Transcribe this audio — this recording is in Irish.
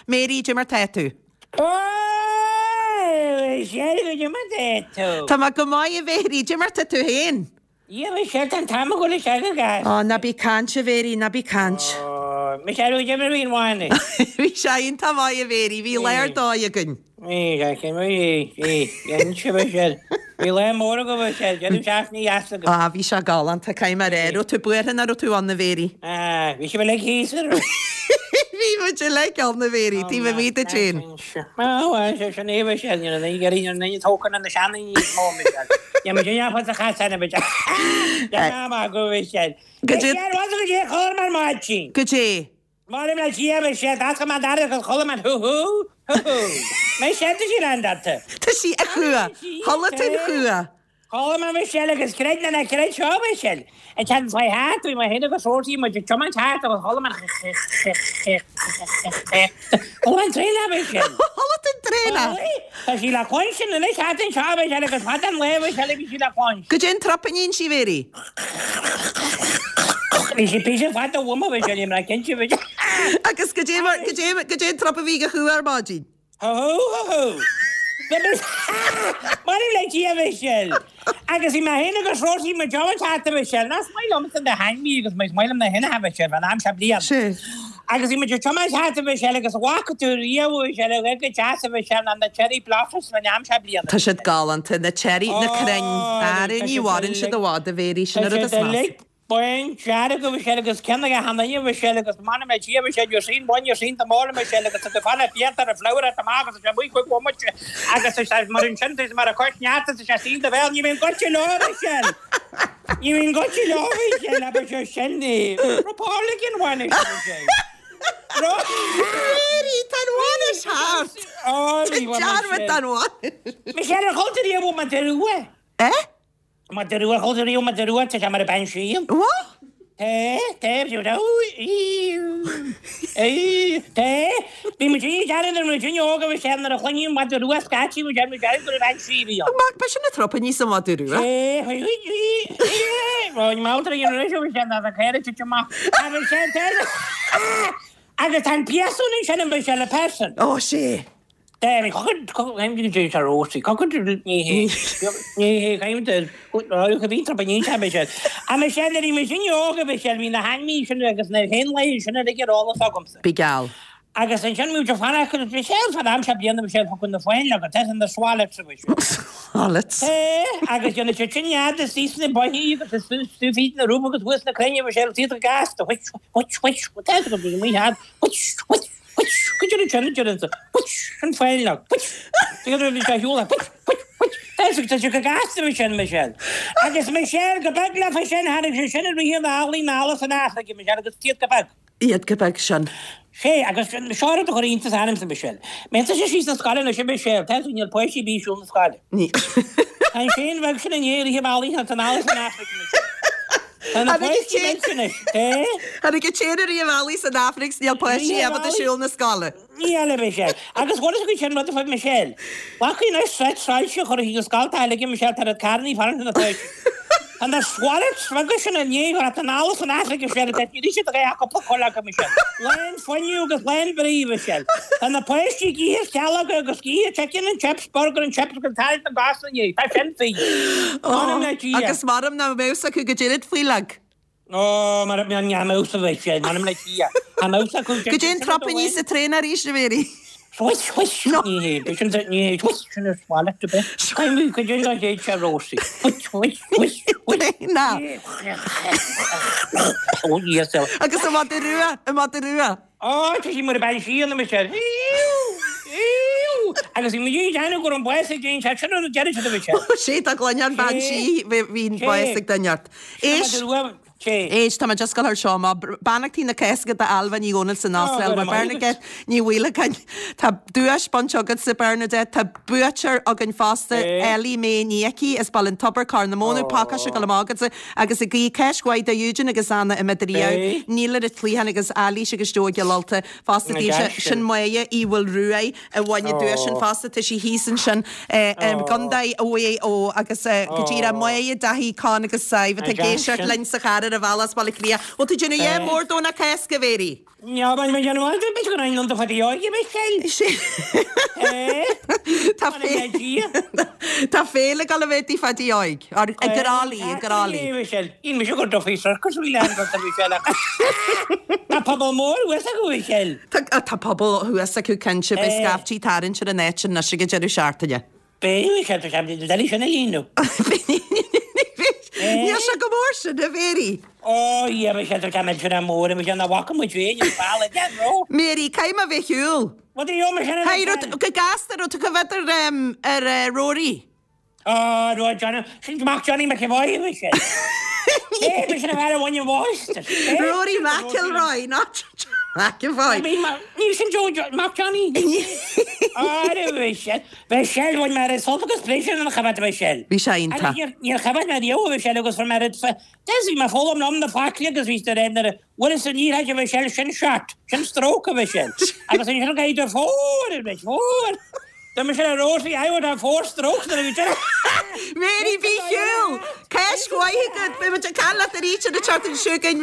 Mary, cad é mar tá tú? Ó, Michelle, cad é mar tá tú? Tá mé go maith, a Mhéirí, cad é mar tá tú féin? Dhia, Michelle, tá an t-am ag dul isteach go gasta. Ó, ná bí ag caint, a Mhéirí, ná bí ag caint. Ó, Michelle, cad é mar a bhí an bhainis? Bhí sé iontach maith, a Mhéirí, bhí lá ar dóigh againn. Bhí, bhí, bhí, bhí, bhí, Michelle. Bhí lá mór agaibh, Michelle, deireadh seachtaine dheas agaibh. Á, bhí sé galánta, caithfidh mé a rá. Raibh tú buartha nach raibh tú ann, a Mhéirí? Á, bhí sibh uilig thíos, an raibh? Bhí muid uilig ann, a Mhéirí, taobh amuigh duit féin. Bhuel, sé sin é, Michelle, ní raibh aon ní raibh aon tógtha na seandaoine níos mó, Michelle. Níl muid in ann sa chasán, a Michelle. Tá maith agat, Michelle. Goidé. Michelle, bhuel, goidé a chuala mé ar maidin. Goidé. M'anam le Dia, Michelle, d'oscail mé an doras agus chuala mé an hú hú, hú hú. Michelle, tá sí an data. Tá sí a chua. Chuala tú an chua. Chuala mé Michelle agus creid nó ná creid seo Michelle. An tseachtain seo thart bhí mé féin agus Rosie muid ag tiomáint thart agus chuala mé an Chuala mé an traenach Michelle. Chuala tú an traenach? Tá sí le cluinstin anois thart anseo Michelle agus fada an lá Michelle a bhí sí le cluinstin. Goidé an trup a níonn sí Mhéirí? Bhí sí píosa fada uaim a Mhichelle, níl mé cinnte Michelle. Agus goidé mar goidé goidé an trup a bhí ag an chú ar maidin? Hú hú hú. M'anam le Dia Michelle. Agus bhí mé féin agus Rosie muid ag tiomáint thart a Mhichelle. Is maith liomsa na hainmhí agus is maith liom na héanacha Michelle fán am seo bliain. Sea. Agus bhí muid ag tiomáint thart a Mhichelle agus an bhfaca tú riamh a Mhichelle a bheith go deas a Mhichelle ná na cherry blossoms fán am seo bliana. Tá siad galánta, na cherry, na crainn. Ara ní mhaireann siad i bhfad a Mhéirí, sin an rud is measa. Bándearg a Mhichelle agus ceann aige cheana a Mhichelle agus m'anam le Dia a Mhichelle you're seeing one you're seeing them all a Mhichelle agus tá tú fanacht fiata ar an flower at amach agus tá sé amuigh chuig bhomaite agus tá sé mar ansin tá sé mar a cois neart tá sé saol do bhéal ní bhíonn goitse leo a Mhichelle ní bhíonn goitse leo a Mhichelle abair sé sin ní Republican bhainis a Mhichelle Mary tá an bhainis thart! Tá dearmad den bhainis! Michelle ar chuala tú riamh madra rua? Eh? Madra rua, chuala tú riamh madra rua, tá sé mar a bean sí. What? Té, té, té, bhí muid ag déanamh nuair muid óg agus sé nuair a chluinfí madra rua scaití muid ar muid ar go raibh bean sí a bhí ann. Mac, ba sin an trup a níos an madra rua. Té, bhí madra an raibh sé ná a caora tite amach agus sé agus tá an piasún ansin an bhí sé le person. Ó sé. Ní hé Bhí na hainmhí sin agus na héanlaithe sin uilig ar eolas agamsa. Bí geall. Agus ansin bhí muid fanacht agus bhí sé fad am seo bliana bhí sé thugtha na fáinleoga, tá na swallets a bhí sé. Swallets. Agus dhéanadh siad sin nead istigh sna boithí agus istigh fríd na rúba agus thuas na crainn bhí sé iad go gasta, which, which, which, tá go bhí muid thart, which, which. Which, go deireadh sin, deireadh an, which, an fáinleog, which, deireadh bhí sé shiúl, which, which, which, tá sé, tá sé go gasta Michelle, Michelle. Agus Michelle, go beag leofa sin, tháinig sé sin i rith an eallaigh anall as an Afraic, Michelle, agus iad go beag. Iad go beag sin. Sé, agus seo rud a chuir iontas ormsa, Michelle. Má théann tusa síos na scoile anois, a Michelle, tá sé, níl páistí ar bith ag siúl na scoile. Níl. Tá an séan bheag sin i ndiaidh rith an bhealaigh as anall as an Afraic, Michelle. Tá na páistí millte anois. Tháinig an t-éan i rith an bhealaigh san Afraic 's níl páistí ábalta siúl na scoile. Níl, a Michelle. Agus bhuel is againn sin rud a fuair Michelle. Bhfaca anois seit soilse a chur chuig an scoil tá uilig Michelle tá rud carnaí fanacht na páistí. Tá na swallets beaga sin i ndiaidh a theacht anall as an Afraic a Michelle tá ní siad a bheith cúpla cur acu Michelle. Lán fuinneamh agus lán brí Michelle. Tá na páistí ag ithe sceallóga agus ag ithe chicken and chips, burger and chips agus tarraingt na gcos ina ndiaidh. Tá sin faoi. M'anam le Dia. Agus maram nach mbeadh acu go deireadh faoileog. Ó, mara mbeadh an mouse a bheith sé, m'anam le Dia. Tá mouse acu. Goidé an trup a níos an traein arís, a Mhéirí. Swish, swish. No. Ní hé, sin ní hé, swish, sin is wallet a bit. Caithfidh go dtí go dtéid sé Rosie. Swish, swish, swish, swish. Na. Ó, yes. Agus an madra rua, an madra rua. Ó, tá sí mar a bean sí ionam is é. Iú! Agus bhí muid ag déanamh go raibh an bás ag déan sé sin rud a deireadh siad a bhí sé. Sé tá gloine an bean sí, bhí an bás ag duine ort. Éist, éist, tá mé just ag gabháil thar seo amach. Beannachtaí na Cásca d'Ailbhe Ní Dhomhnaill san Astráil, mar Bernadette Ní Mhaoileacáin. Tá duais bainte agatsa, Bernadette, tá buaiteoir againn fosta, Ellie Mae Ní Icí as Baile an Tobair, Corr na Móna, pacáiste ag dul amach agatsa. Agus ag guí Cáisc mhaith do Eugene agus Anna i Midiríodh, Neil ar an Chliathán agus Eilís agus Joe i gCill Ulta fosta daoibhse. Sin Máire Uí Mhaolruaidh a bhain an duais sin fosta. Tá sí thíos ansin i gContae Mhaigh Eo agus go díreach Máire, Daithí, Con agus Sadhbh atá ag éisteacht linn sa charr. ar a bhealach as Baile Átha Cliath. Bhfuil tú ag déanamh a dhath mór Domhnach Cásca, a Mhéirí? Níl mé ag déanamh aon bit go raibh an Phadaí Óige Michelle. Tá Tá féile ag dul a bheith i dTigh Phadaí Óig. Or i gCarraig Lí, i gCarraig Lí. Michelle, Níl mise go Duffy Circus bhí lean go Michelle ach Tá pobal mór thuas acu Michelle. Tá tá pobal thuas acu cinnte, beidh scaiftí tarraingt ar an áit anois ag an deireadh seachtaine. Beidh Michelle, tá sé doiligh sin a líonadh. Níl sé chomh mór sin, a Mhéirí. Ó, yeah, Michelle, tá sé millteanach mór, Michelle, nach bhfaca muid féin an bealach de, bro. Mary, caithfidh mé a bheith ar shiúl. What do you, Michelle? Hey, raibh tú, go gasta, raibh tú coimhéad ar, ar Rory? Ó, raibh Johnny, sin mac Johnny McEvoy, Michelle. Hey, Michelle, a bhean a bhain an mháistir. Rory McIlroy, not McEvoy. Níl sin Joe, mac Johnny. Á, Michelle. Michelle, bhain mé oiread sult agus pléisiúr an choimhéad Michelle. Bhí sé iontach. Níor choimhéad mé riamh Michelle agus fuair mé oiread Des bhí mé foghlaim liom na focla agus bhí de réir nuair a bhfuil san ní raibh Michelle sin shot, sin stroke a Michelle. Agus ansin go idir four ar Mich, four. Tá Michelle a Rosie, I would have four strokes nuair a bhí deireadh. Mary, bí ar shiúl! Cáisc mhaith agat! Beidh muid ag caint leat arís ar an tseachtain seo chugainn.